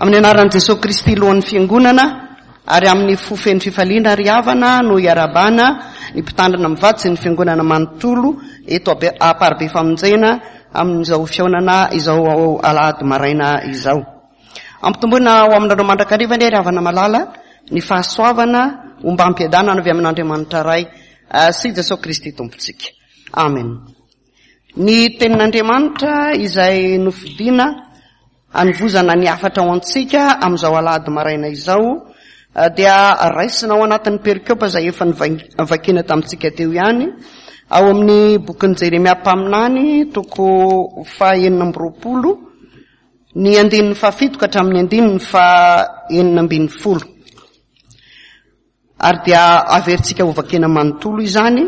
Amin'ny anaran'i Jesoa Kristy Lohan'ny Fiangonana ary amin'ny fo feno fifaliana ry havana no iarahabana ny mpitandrina mivady sy ny Fiangonana manontolo eto Amparibe Famonjena amin'izao fihaonana izao alahady maraina izao. Ampitomboina ho aminareo mandrakariva anie ry havana malala ny fahasoavana ombam-piadanana avy amin'Andriamanitra Ray sy Jesoa Kristy Tompontsika. Amen. Ny tenin'Andriamanitra izay nofidina hanovozana ny hafatra ho antsika amin'izao alahady maraina izao dia raisina ao anatin'ny perikopa izay efa novakiana tamintsika teo ihany ao amin'ny bokin'i Jeremia mpaminany toko faha-26 ny andininy fahafito ka hatramin'ny andininy faha-16. Ary dia averintsika hovakiana manontolo izany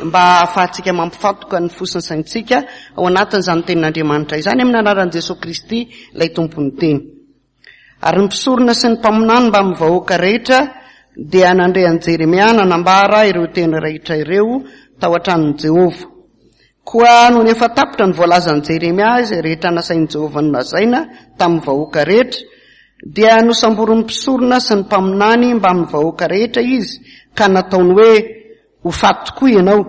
mba hahafahantsika mampifantoka ny fo sy ny saintsika ao anatin'izany tenin'Andriamanitra izany amin'ny anaran'i Jesoa Kristy ilay Tompon'ny teny. Ary ny mpisorona sy ny mpaminany mbamin'ny vahoaka rehetra dia nandre an'i Jeremia nanambara ireo teny rehetra ireo tao an-tranon'i Jehovah. Koa nony efa tapitra ny voalazan'i Jeremia izay rehetra nasain'i Jehovah nolazaina tamin'ny vahoaka rehetra, dia nosamborin'ny mpisorona sy ny mpaminany mbamin'ny vahoaka rehetra izy, ka nataony hoe, Ho faty tokoa ianao.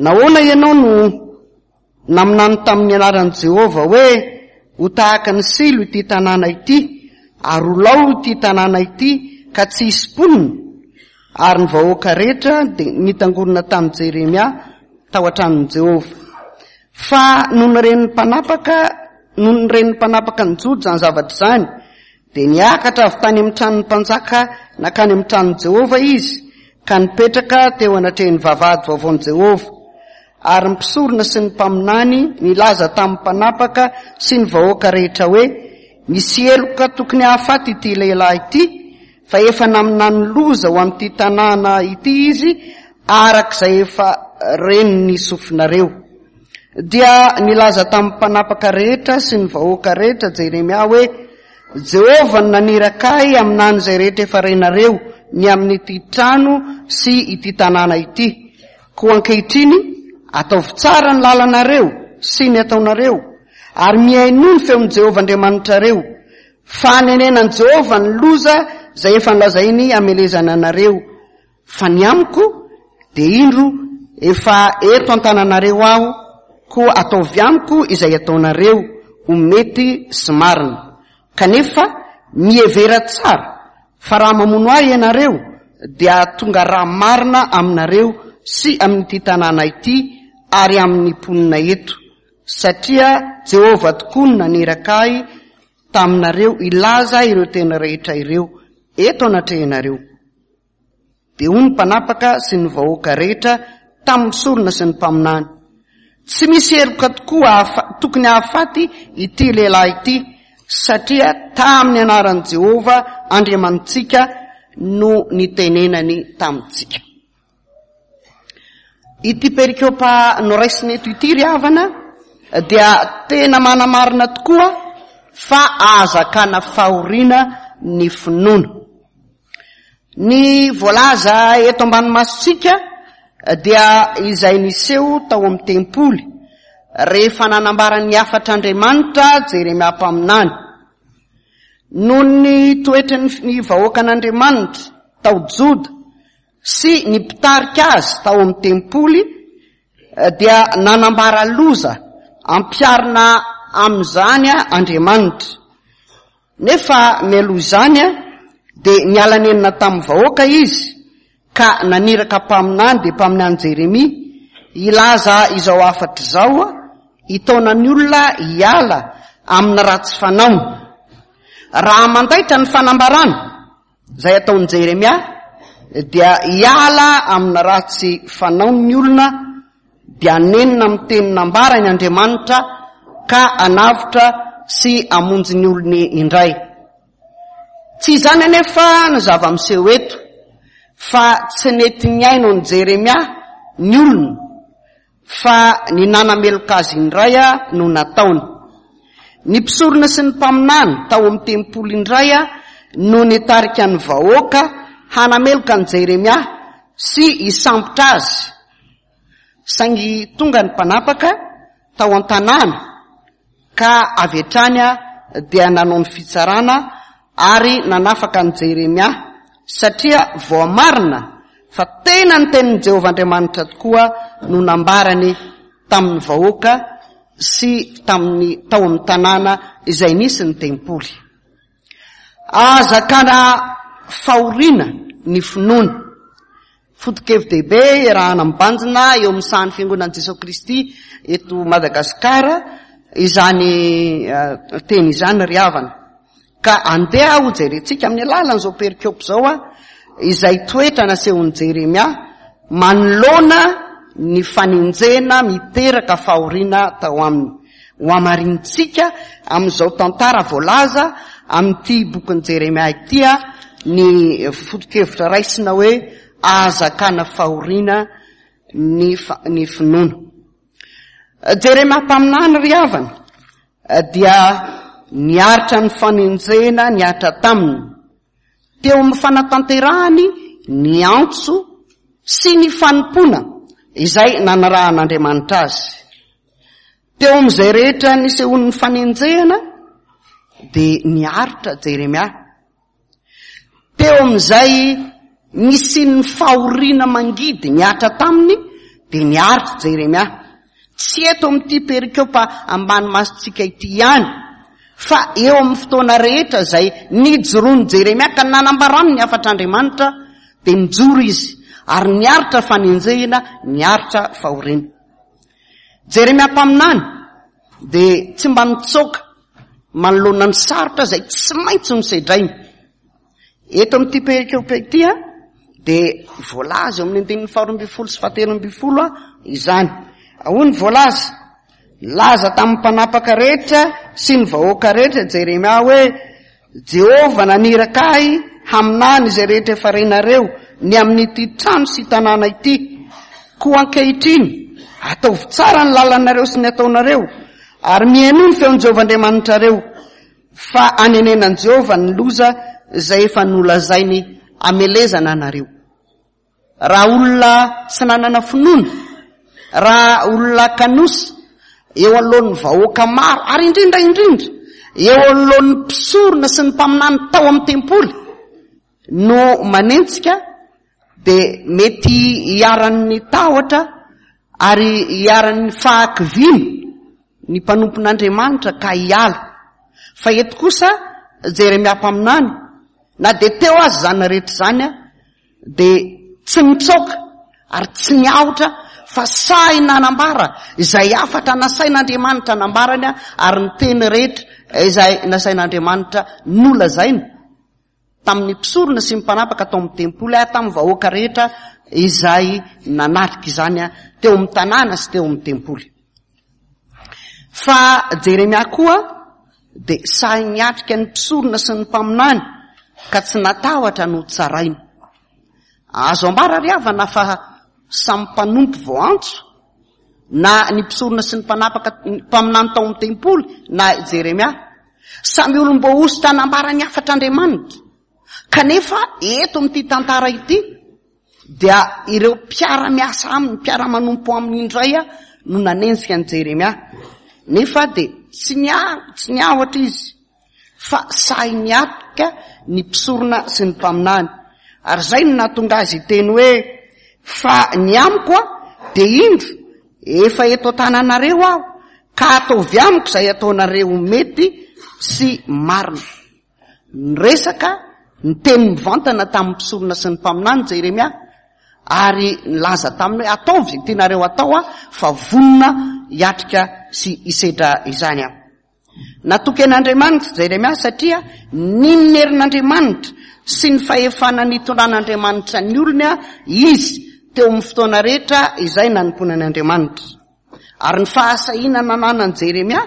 Nahoana ianao no naminany tamin'ny anaran'i Jehovah hoe, 'Ho tahaka ny Silo ity tanàna ity, ary ho lao ity tanàna ity, ka tsy hisy mponina? Ary ny vahoaka rehetra dia nitangorona tamin'i Jeremia tao an-tranon'i Jehovah. Fa nony ren'ny mpanapaka, nony ren'ny mpanapaka ny Joda izany zavatra izany, dia niakatra avy tany amin'ny tranon'ny mpanjaka nankany amin'ny tranon'i Jehovah izy, ka nipetraka teo anatrehan'ny vavahady vaovaon'i Jehovah. Ary ny mpisorona sy ny mpaminany nilaza tamin'ny mpanapaka sy ny vahoaka rehetra hoe, Misy heloka tokony hahafaty ity lehilahy ity, fa efa naminany loza ho amin'ity tanàna ity izy araka izay efa ren'ny sofinareo. Dia nilaza tamin'ny mpanapaka rehetra sy ny vahoaka rehetra Jeremia hoe, Jehovah no naniraka ahy haminany izay rehetra efa renareo ny amin'ity trano sy ity tanàna ity. Koa ankehitriny, ataovy tsara ny lalanareo sy ny ataonareo, ary mihainoa ny feon'i Jehovah Andriamanitrareo, Fa hanenenan'i Jehovah ny loza izay efa nolazainy hamelezana anareo. Fa ny amiko, dia indro, efa eto an-tananareo aho, koa ataovy amiko izay ataonareo ho mety sy marina. Kanefa mihevera tsara, fa raha mamono ahy ianareo, dia hahatonga ra marina aminareo sy amin'ity tanàna ity ary amin'ny mponina eto, satria Jehovah tokoa no naniraka ahy taminareo hilaza ireo teny rehetra ireo eto anatrehanareo. Dia hoy ny mpanapaka sy ny vahoaka rehetra tamin'ny mpisorona sy ny mpaminany, Tsy misy heloka tokoa tokony hahafaty ity lehilahy ity, satria tamin'ny anaran'i Jehovah Andriamanitsika no nitenenany tamintsika. Ity perikopa noraisina eto ity ry havana dia tena manamarina tokoa fa ahazakana fahoriana ny finoana. Ny voalaza eto ambany masontsika dia izay niseho tao amin'ny tempoly rehefa nanambara ny hafatr'Andriamanitra Jeremia mpaminany. Noho ny toetran'ny vahoakan'Andriamanitra tao Joda sy ny mpitarika azy tao amin'ny tempoly dia nanambara loza ampiharina amin'izany Andriamanitra. Nefa mialoha izany dia niala nenina tamin'ny vahoaka izy ka naniraka mpaminany dia mpaminany Jeremia hilaza izao hafatra izao hitaona ny olona hiala amin'ny ratsy fanaony. Raha mandaitra ny fanambarana Izay ataon'i Jeremia dia hiala amin'ny ratsy fanaony ny olona dia hanenina amin'ny teny nambarany Andriamanitra ka hanavotra sy hamonjy ny olony indray. Tsy izany anefa no zava-miseho eto fa tsy nety nihaino an'i Jeremia ny olona Fa ny nanameloka azy indray no nataony. Ny mpisorona sy ny mpaminany tao amin'ny tempoly indray no nitarika ny vahoaka hanameloka an'i Jeremia sy hisambotra azy. Saingy tonga ny mpanapaka tao an-tanàna ka avy hatrany dia nanao ny fitsarana. ary nanafaka an'i Jeremia, satria voamarina fa tena ny tenin'i Jehovah Andriamanitra tokoa no nambarany tamin'ny vahoaka sy tamin'ny tao amin'ny tanàna izay nisy ny tempoly. Ahazakana fahoriana ny finoana. Foto-kevi-dehibe iarahana mibanjina eo amin'ny sahan'ny Fiangonan'i Jesoa Kristy eto Madagasikara izany eh, teny izany ry havana. Ka andeha ho jerentsika amin'ny alalan'izao perikopa izao a, izay toetra nasehon'i Jeremia manoloana ny fanenjehana miteraka fahoriana tao aminy. Ho hamarintsika amin'izao tantara voalaza amin'ity bokin'i Jeremia ity ny foto-kevitra raisina hoe ahazakana fahoriana ny ny finoana. Jeremia mpaminany ry havana dia niaritra ny fanenjehana nihatra taminy. Teo amin'ny fanatanterahany ny antso sy ny fanompoana izay nanarahan'Andriamanitra azy. Teo amin'izay rehetra nisehoan'ny fanenjehana dia niaritra Jeremia. Teo amin'izay nisian'ny fahoriana mangidy nihatra taminy dia niaritra Jeremia. Tsy eto amin'ity perikopa ambany masontsika ity ihany fa eo amin'ny fotoana rehetra izay nijoroan'i Jeremia ka nanambarany ny hafatr'Andriamanitra dia nijoro izy ary niaritra fanenjehina, niaritra fahoriana. Jeremia mpaminany dia tsy mba nitsoaka manoloana ny sarotra izay tsy maintsy nosedrainy. Eto amin'ity perikopa ity dia voalaza eo amin'ny andininy faharoa ambin'ny folo sy fahatelo ambin'ny folo izany. Hoy ny voalaza, Nilaza tamin'ny mpanapaka rehetra sy ny vahoaka rehetra Jeremia hoe, Jehovah naniraka ahy haminany izay rehetra efa renareo ny amin'ity trano sy tanàna ity. Koa ankehitriny, ataovy tsara ny lalanareo sy ny ataonareo, ary mihainoa ny feon'i Jehovah Andriamanitrareo, fa anenenan'i Jehovah ny loza izay efa nolazainy hamelezana anareo. Raha olona tsy nanana finoana, raha olona kanosa eo anoloan'ny vahoaka maro, ary indrindra indrindra eo anoloan'ny mpisorona sy ny mpaminany tao amin'ny tempoly no manenjika, dia mety hiharan'ny tahotra ary hiharan'ny fahakiviana ny mpanompon'Andriamanitra ka hiala. Fa eto kosa Jeremia mpaminany, na dia teo aza izany rehetra izany, dia tsy nitsoaka ary tsy niahotra fa sahy nanambara izay hafatra nasain'Andriamanitra nambarany ary ny teny rehetra izay nasain'Andriamanitra nolazainy tamin'ny mpisorona sy ny mpanapaka tao amin'ny tempoly ary tamin'ny vahoaka rehetra izay nanatrika izany teo amin'ny tanàna sy teo amin'ny tempoly. Fa Jeremia koa dia sahy niatrika ny mpisorona sy ny mpaminany ka tsy natahotra no tsaraina. Azo ambara ry havana fa samy mpanompo voantso na ny mpisorona sy ny mpanapaka mpaminany tao amin'ny tempoly na Jeremia. Samy olom-boahosotra nambara ny hafatr'Andriamanitra. Kanefa eto amin'ity tantara ity dia ireo mpiara-miasa aminy, mpiara-manompo aminy indray no nanenjika an'i Jeremia. Nefa dia tsy tsy niahotra izy fa sahy niatrika ny mpisorona sy ny mpaminany. Ary izay no nahatonga azy hiteny hoe, fa ny amiko a, dia indro, efa eto an-tananareo aho, ka ataovy amiko izay ataonareo mety sy marina. Niresaka niteny mivantana tamin'ny mpisorona sy ny mpaminany Jeremia ary nilaza taminy hoe ataovy izay tianareo atao aho fa vonona hiatrika sy hisedra izany aho. Natoky an'Andriamanitra Jeremia satria nino ny herin'Andriamanitra sy ny fahefana nitondran'Andriamanitra ny olony izy teo amin'ny fotoana rehetra izay nanompoana an'Andriamanitra. Ary ny fahasahiana nananan'i Jeremia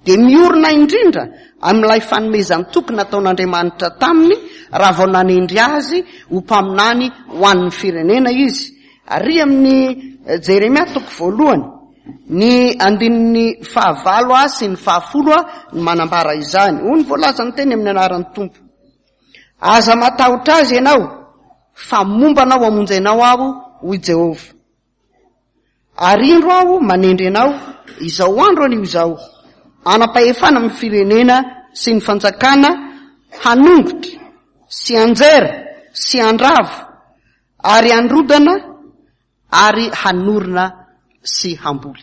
dia miorina indrindra amin'ilay fanomezan-toky nataon'Andriamanitra taminy raha vao nanendry azy ho mpaminany ho an'ny firenena izy. Ary amin'ny eh, Jeremia toko voalohany, ny andininy fahavalo a sy ny fahafolo a ny manambara izany. Hoy ny voalazan'ny teny amin'ny anaran'ny Tompo. Aza matahotra azy ianao, fa momba anao hamonjy anao aho, hoy Jehovah. Ary indro aho manendry anao izao andro anio izao, hanam-pahefana amin'ny firenena sy ny fanjakana hanongotra sy hanjera sy handrava ary handrodana ary hanorina sy hamboly.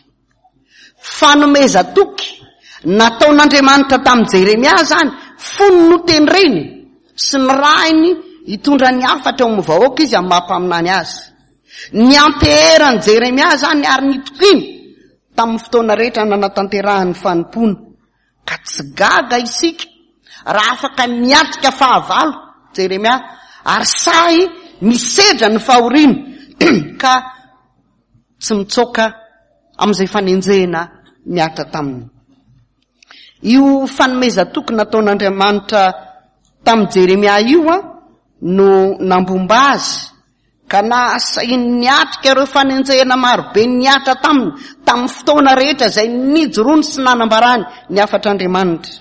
Fanomezan-toky nataon'Andriamanitra tamin'i Jeremia izany fony notendreny sy nirahiny hitondra ny hafatra eo amin'ny vahoaka izy amin'ny maha mpaminany azy. Nianteheran'i Jeremia izany ary nitokiany tamin'ny fotoana rehetra nanatanterahany ny fanompoana. Ka tsy gaga isika raha afaka niatrika fahavalo Jeremia ary sahy nisedra ny fahoriana ka tsy mitsoaka amin'izay fanenjehina mihatra taminy. Io fanomezan-toky nataon'Andriamanitra tamin'i Jeremia io no nambomba azy Ka nahasahiany niatrika ireo fanenjehana marobe nihatra taminy tamin'ny fotoana rehetra izay nijoroany sy nanambarany ny hafatr'Andriamanitra.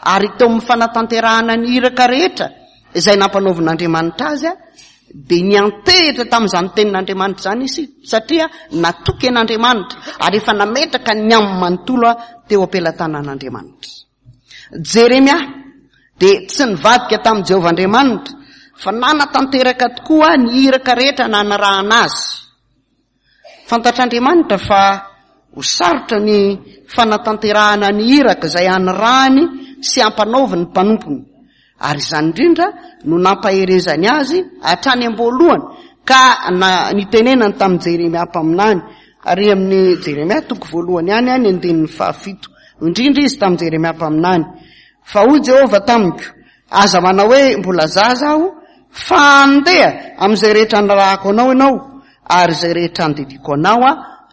Ary teo amin'ny fanatanterahana ny iraka rehetra izay nampanaovin'Andriamanitra azy, dia niantehitra tamin'izany tenin'Andriamanitra izany izy satria natoky an'Andriamanitra ary efa nametraka ny aminy manontolo teo am-pelatanan'Andriamanitra. Jeremia dia tsy nivadika tamin'i Jehovah Andriamanitra, fa nanatanteraka tokoa ny iraka rehetra nanarahana azy. Fantatr'Andriamanitra fa ho sarotra ny fanatanterahana ny iraka izay anirahany sy ampanaoviny ny mpanompony. Ary izany indrindra no nampaherezany azy hatrany am-boalohany ka na nitenenany tamin'i Jeremia mpaminany, ary amin'ny Jeremia toko voalohany ihany ny andininy fahafito. Indrindra izy tamin'i Jeremia mpaminany, Fa hoy Jehovah tamiko, Aza manao hoe, Mbola zaza aho, fa andeha amin'izay rehetra anirahako anao ianao, ary izay rehetra andidiako anao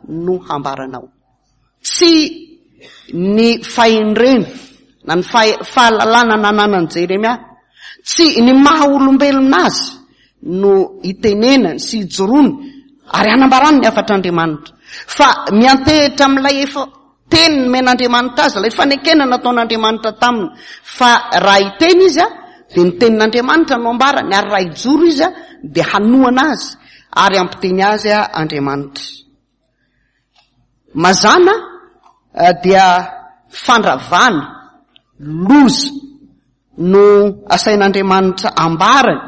no hambaranao. Tsy ny fahendrena na ny fahalalana nananan'i Jeremia, tsy ny maha olombelona azy no itenenany sy ijoroany ary anambarany ny hafatr'Andriamanitra, fa miantehitra amin'ilay efa teny nomen'Andriamanitra azy, ilay fanekena nataon'Andriamanitra taminy, fa raha hiteny izy dia ny tenin'Andriamanitra no ambarany, ary raha hijoro izy dia hanohana azy ary hampiteny azy Andriamanitra. Mazàna dia fandravana, loza, no asain'Andriamanitra ambarany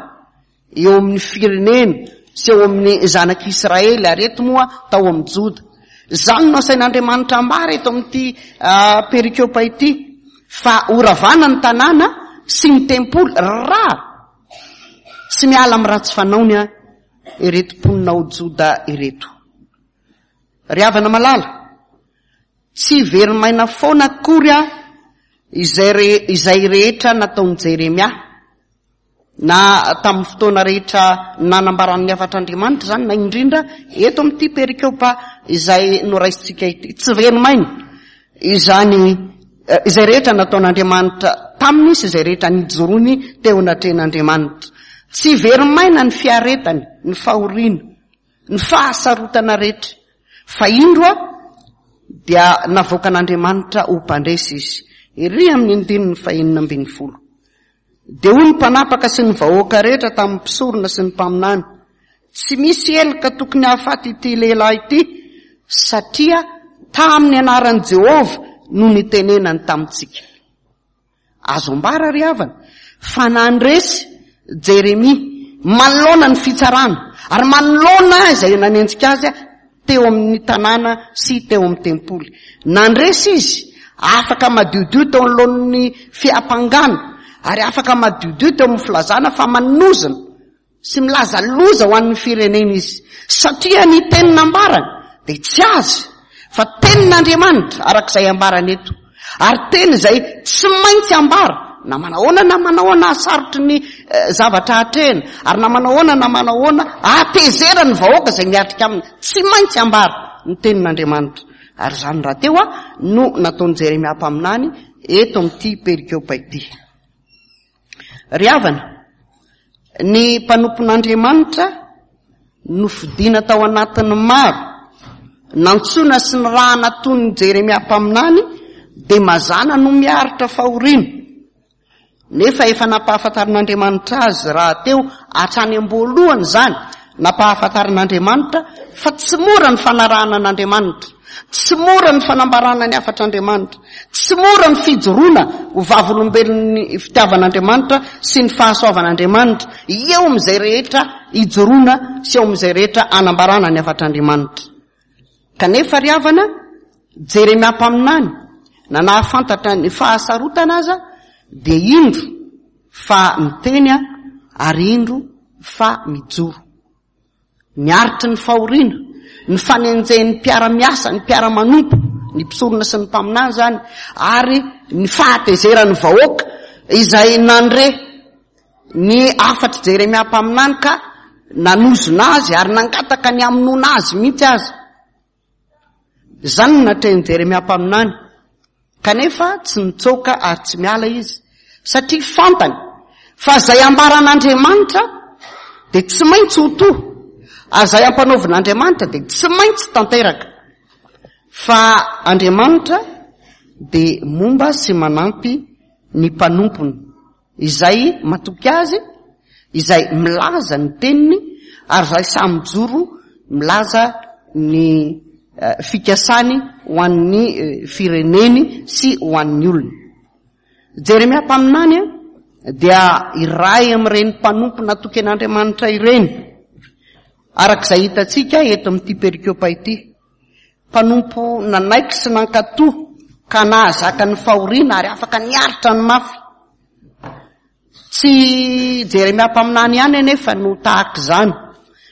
eo amin'ny firenena sy eo amin'ny zanak'Israely, ary eto moa tao amin'ny Joda. Izany no asain'Andriamanitra ambara eto amin'ity perikopa ity, fa horavana ny tanàna sy ny tempoly raha tsy miala amin'ny ratsy fanaony ireto mponina ao Joda ireto. Ry havana malala, tsy very maina foana akory aho izay re, izay rehetra nataon'i Jeremia, na tamin'ny fotoana rehetra nanambarany ny hafatr'Andriamanitra izany, na indrindra eto amin'ity perikopa izay noraisintsika ity. Tsy very maina izany eh, izay rehetra nataon'Andriamanitra taminy sy izay rehetra nijoroany teo anatrehan'Andriamanitra. Tsy very maina ny fiaretany, ny fahoriana. ny fahasarotana rehetra, fa indro a, dia navoakan'Andriamanitra ho mpandresy izy. Ery amin'ny andininy fahenina ambin'ny folo. Dia hoy ny mpanapaka sy ny vahoaka rehetra tamin'ny mpisorona sy ny mpaminany, tsy misy heloka tokony hahafaty ity lehilahy ity, satria tamin'ny anaran'i Jehovah no nitenenany tamintsika. Azo ambara ry havana fa nandresy Jeremia manoloana ny fitsarana ary manoloana izay nanenjika azy teo amin'ny tanàna sy teo amin'ny tempoly. Nandresy izy, afaka madiodio teo anoloan'ny fiampangana ary afaka madiodio teo amin'ny filazana fa manozona sy milaza loza ho an'ny firenena izy, satria ny teny nambarany dia tsy azy fa tenin'Andriamanitra araka izay ambarany eto, ary teny izay tsy maintsy ambara na manahoana na manahoana hasarotry ny eh, zavatra atrehina, ary na manahoana na manahoana hatezera ny vahoaka izay miatrika aminy, tsy maintsy ambara ny tenin'Andriamanitra. Ary izany rahateo a no nataon'i Jeremia mpaminany eto amin'ity perikopa ity. Ry havana, ny mpanompon'Andriamanitra nofidina tao anatin'ny maro, nantsoina sy nirahana toy ny Jeremia mpaminany, dia mazàna no miaritra fahoriana. Nefa efa nampahafantarin'Andriamanitra azy rahateo hatrany am-boalohany izany, nampahafantarin'Andriamanitra fa tsy mora ny fanarahana an'Andriamanitra, tsy mora ny fanambarana ny hafatr'Andriamanitra. Tsy mora ny fijoroana ho vavolombelon'ny fitiavan'Andriamanitra sy ny fahasoavan'Andriamanitra eo amin'izay rehetra ijoroana sy eo amin'izay rehetra anambarana ny hafatr'Andriamanitra. Kanefa ry havana, Jeremia mpaminany, na nahafantatra ny fahasarotana aza, dia indro fa miteny ary indro fa mijoro. Niaritry ny fahoriana, ny fanenjehin'ny mpiara-miasa, ny mpiara-manompo, ny mpisorona sy ny mpaminany izany, ary ny fahatezeran'ny vahoaka izay nandre ny hafatr'i Jeremia mpaminany ka nanozona azy ary nangataka ny hamonoana azy mihitsy aza. Izany no natrehin'i Jeremia mpaminany. Kanefa tsy nitsoaka ary tsy miala izy, satria fantany fa izay ambaran'Andriamanitra dia tsy maintsy ho to, ary izay ampanaovin'Andriamanitra dia tsy maintsy tanteraka. Fa Andriamanitra dia momba sy manampy ny mpanompony. Izay matoky Azy, izay milaza ny teniny, ary izay sahy mijoro milaza ny fikasany ho an'ny fireneny sy ho an'ny olony. Jeremia mpaminany dia iray amin'ireny mpanompo natoky an'Andriamanitra ireny, araka izay hitantsika eto amin'ity perikopa ity. Mpanompo nanaiky sy nankatò ka nahazaka ny fahoriana ary afaka niaritra ny mafy. Tsy Jeremia mpaminany ihany anefa no tahaka izany,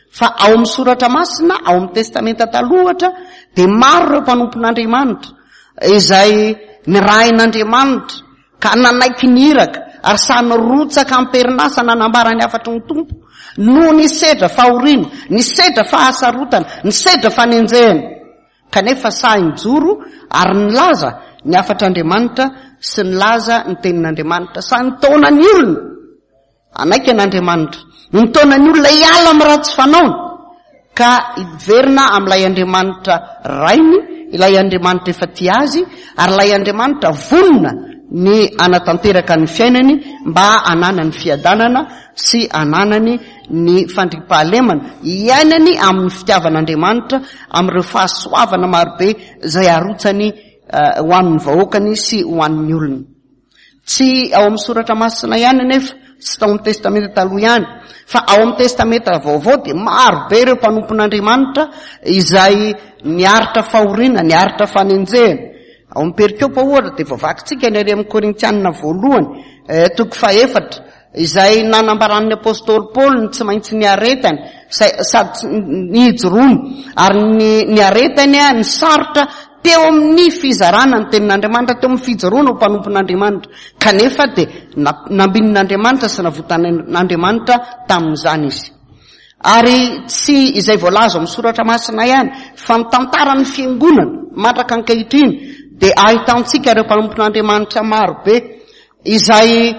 fa ao amin'ny Soratra Masina, ao amin'ny Testamenta Taloha ohatra, dia maro ireo mpanompon'Andriamanitra izay nirahin'Andriamanitra Ka nanaiky ny iraka, ary sahy nirotsaka am-perinasa nanambara ny hafatry ny Tompo, noho ny sedra fahoriana, ny sedra fahasarotana, ny sedra fanenjehana. Kanefa sahy nijoro ary nilaza ny hafatr'Andriamanitra sy nilaza ny tenin'Andriamanitra. Sahy nitaona ny olona Hanaiky an'Andriamanitra. Nitaona ny olona hiala amin'ny ratsy fanaony, ka hiverina amin'ilay Andriamanitra Rainy, ilay Andriamanitra efa tia azy, ary ilay Andriamanitra vonona ny hanatanteraka ny fiainany mba hananany fiadanana sy hananany ny fandriampahalemana, hiainany amin'ny fitiavan'Andriamanitra, amin'ireo fahasoavana marobe izay arotsany ho an'ny vahoakany sy ho an'ny olony. Tsy ao amin'ny Soratra Masina ihany anefa, tsy tao amin'ny Testamenta Taloha ihany, fa ao amin'ny Testamenta Vaovao dia maro be ireo mpanompon'Andriamanitra izay niaritra fahoriana, niaritra fanenjehana. Ao amin'ny perikopa ohatra dia voavakintsika ny ary amin'ny Korintianina voalohany, eh, toko fahefatra, izay nanambaran'ny apostoly Paoly ny tsy maintsy niaretany, sady nijoroany, ary ny niaretany ny sarotra teo amin'ny fizarana ny tenin'Andriamanitra, teo amin'ny fijoroana ho mpanompon'Andriamanitra. Kanefa dia nambinin'Andriamanitra sy navotan'Andriamanitra tamin'izany izy. Ary tsy izay voalaza ao amin'ny soratra masina ihany, fa ny tantaran'ny fiangonana mandraka ankehitriny dia ahitantsika ireo mpanompon'Andriamanitra maro be Izay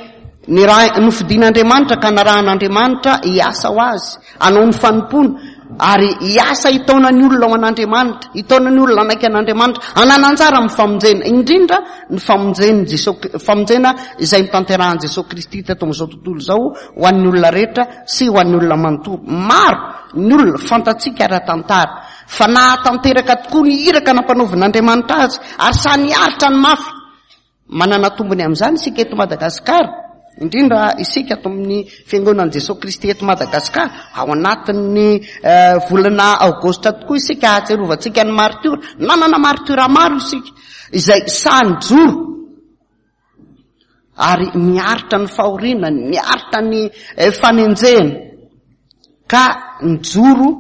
nofidin'Andriamanitra ka narahan'Andriamanitra hiasa ho Azy, hanao ny fanompoana, ary hiasa hitaona ny olona ho an'Andriamanitra, hitaona ny olona hanaiky an'Andriamanitra, hanana anjara amin'ny famonjena, indrindra ny famonjen'i Jesoa, famonjena izay notanterahan'i Jesoa Kristy teto amin'izao tontolo izao ho an'ny olona rehetra sy ho an'ny olona manontolo. Maro ny olona fantatsika ara-tantara fa nahatanteraka tokoa ny iraka nampanaovin'Andriamanitra azy ary sahy niaritra ny mafy. Manana tombony amin'izany isika eto Madagasikara, indrindra isika ato amin'ny Fiangonan'i Jesoa Kristy eto Madagasikara. Ao anatin'ny eh, volana aogositra tokoa isika ahatsiarovantsika ny martiora. Nanana martiora maro isika izay sahy nijoro ary niaritra ny fahoriana, niaritra ny eh, fanenjehana ka nijoro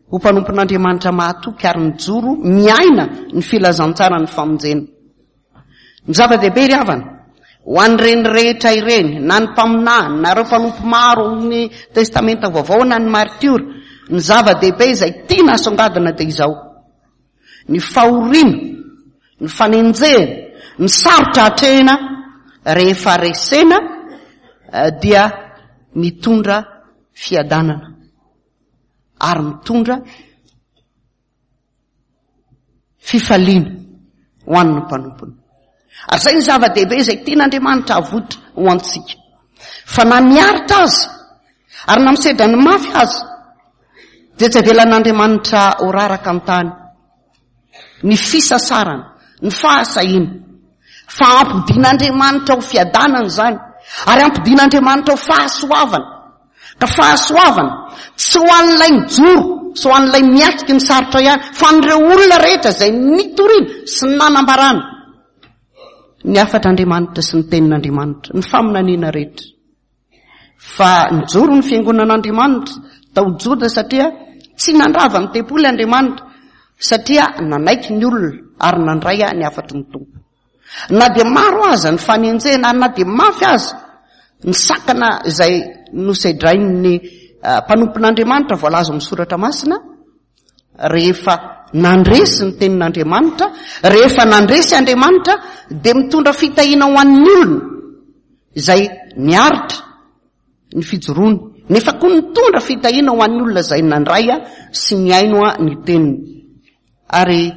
ho mpanompon'Andriamanitra mahatoky ary nijoro miaina ny filazantsaran'ny famonjena. Ny zava-dehibe ry havana, ho an'ireny rehetra ireny, na ny mpaminany, na ireo mpanompo maro amin'ny Testamenta Vaovao, na ny maritiora, ny zava-dehibe izay tiana asongadina dia izao, ny fahoriana, ny fanenjehana, ny sarotra atrehina rehefa resena eh, dia mitondra fiadanana ary mitondra Fifaliana ho an'ny mpanompony. Ary izay ny zava-dehibe izay tian'Andriamanitra havoitra ho antsika. Fa na miaritra aza, ary na misedra ny mafy aza, dia tsy avelan'Andriamanitra ho raraka an-tany ny fisasarana, ny fahasahiana. Fa ampodian'Andriamanitra ho fiadanana izany, ary ampodian'Andriamanitra ho fahasoavana. Ka fahasoavana, tsy ho an'ilay mijoro sy ho an'ilay miatrika ny sarotra ihany, fa an'ireo olona rehetra izay nitoriana sy nanambarana ny hafatr'Andriamanitra sy ny tenin'Andriamanitra, ny faminaniana rehetra. Fa nijoro ny fiangonan'Andriamanitra tao Joda satria tsy nandrava ny tempoly Andriamanitra satria nanaiky ny olona ary nandray ny hafatry ny Tompo. Na dia maro aza ny fanenjehana ary na dia mafy aza ny sakana izay nosedrain'ny eh, mpanompon'Andriamanitra voalaza amin'ny soratra masina, rehefa nandresy ny tenin'Andriamanitra, rehefa nandresy Andriamanitra dia mitondra fitahiana ho an'ny olona izay niaritra ny fijoroany, nefa koa nitondra fitahiana ho an'ny olona izay nandray sy nihaino ny teniny. Ary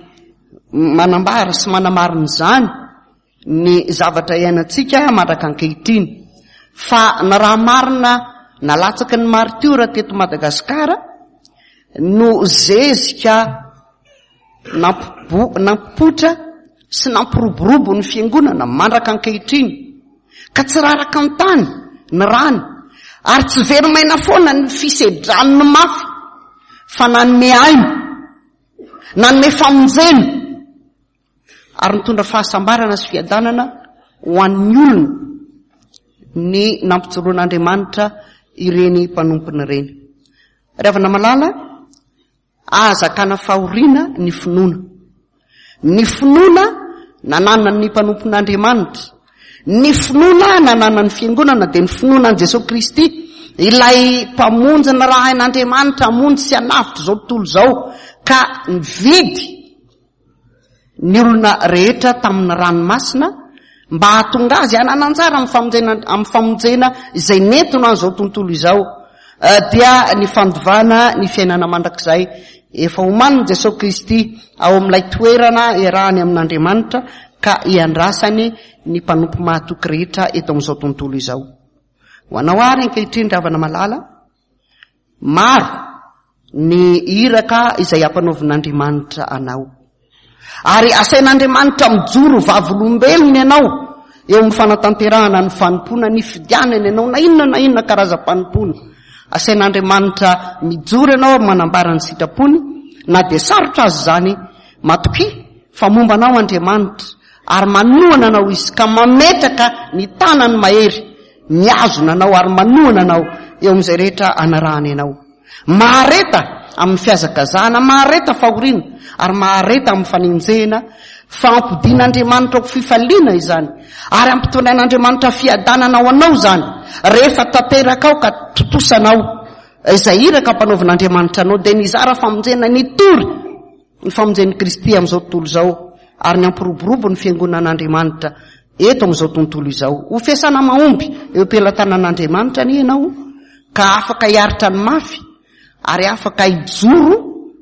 manambara sy manamarina izany ny zavatra iainantsika mandraka ankehitriny. Fa na raha marina nalatsaky ny maritiora teto Madagasikara no zezika nampipoitra sy nampiroborobo ny fiangonana mandraka ankehitriny, ka tsy raraka an-tany ny rany ary tsy very maina foana ny fisedrany mafy fa nanome aina, nanome famonjena ary nitondra fahasambarana sy fiadanana ho an'ny olona ny nampijoroan'Andriamanitra ireny mpanompony ireny. Ry havana malala, ahazakana fahoriana ny finoana. Ny finoana nananan'ny mpanompon'Andriamanitra, ny finoana nananan'ny fiangonana dia ny finoana an'i Jesoa Kristy, ilay Mpamonjy nirahin'Andriamanitra hamonjy sy hanavotra izao tontolo izao, ka nividy ny olona rehetra tamin'ny ranomasina mba hahatonga azy hanana anjara amin'ny famonjena amin'ny famonjena izay nentiny an'izao tontolo izao eh, dia ny fandovana ny fiainana mandrakizay efa omanin'i Jesosy Kristy ao amin'ilay toerana iarahany amin'Andriamanitra ka iandrasany ny mpanompo mahatoky rehetra eto amin'izao tontolo izao. Ho anao ary ankehitriny ravana malala, Maro ny iraka izay ampanaovin'Andriamanitra anao. Ary asain'Andriamanitra mijoro vavolombelony ianao eo amin'ny fanatanterahana ny fanompoana nifidianany ianao na inona na inona karazam-panompoana. Asain'Andriamanitra mijoro ianao ary manambara ny sitrapony na dia sarotra aza izany. Matokia fa momba anao Andriamanitra ary manohana anao Izy ka mametraka ny tanany mahery mihazona anao ary manohana anao eo amin'izay rehetra anarahany anao. Mahareta amin'ny fihazakazahana, mahareta fahoriana ary mahareta amin'ny fanenjehana fa ampodian'Andriamanitra ho fifaliana izany ary ampitondrain'Andriamanitra fiadanana ho anao izany rehefa tanterakao ka tontosanao izay iraka ampanaovin'Andriamanitra anao dia nizara famonjena nitory ny famonjen'i Kristy amin'izao tontolo izao ary ny hampiroborobo ny fiangonan'Andriamanitra eto amin'izao tontolo izao. Ho fiasana mahomby eo am-pelatanan'Andriamanitra anie ianao ka afaka hiaritra ny mafy ary afaka hijoro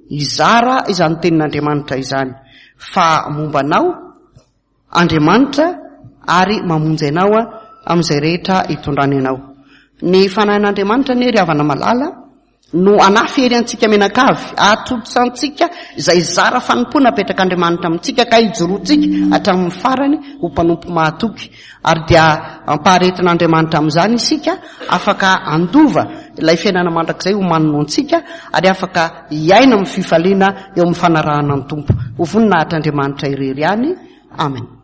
hizara izany tenin'Andriamanitra izany fa momba anao Andriamanitra ary mamonjy anao amin'izay rehetra itondrany anao. Ny fanahin'Andriamanitra anie ry havana malala no hanafy hery antsika mianakavy, hahatontosantsika izay zara fanompoana apetrak'Andriamanitra amintsika ka hijoroantsika hatramin'ny farany ho mpanompo mahatoky. Ary dia ampaharetin'Andriamanitra amin'izany isika, afaka handova ilay fiainana mandrakizay omaniny ho antsika ary afaka hiaina amin'ny fifaliana eo amin'ny fanarahana ny Tompo. Ho voninahitr'Andriamanitra irery ihany. Amen.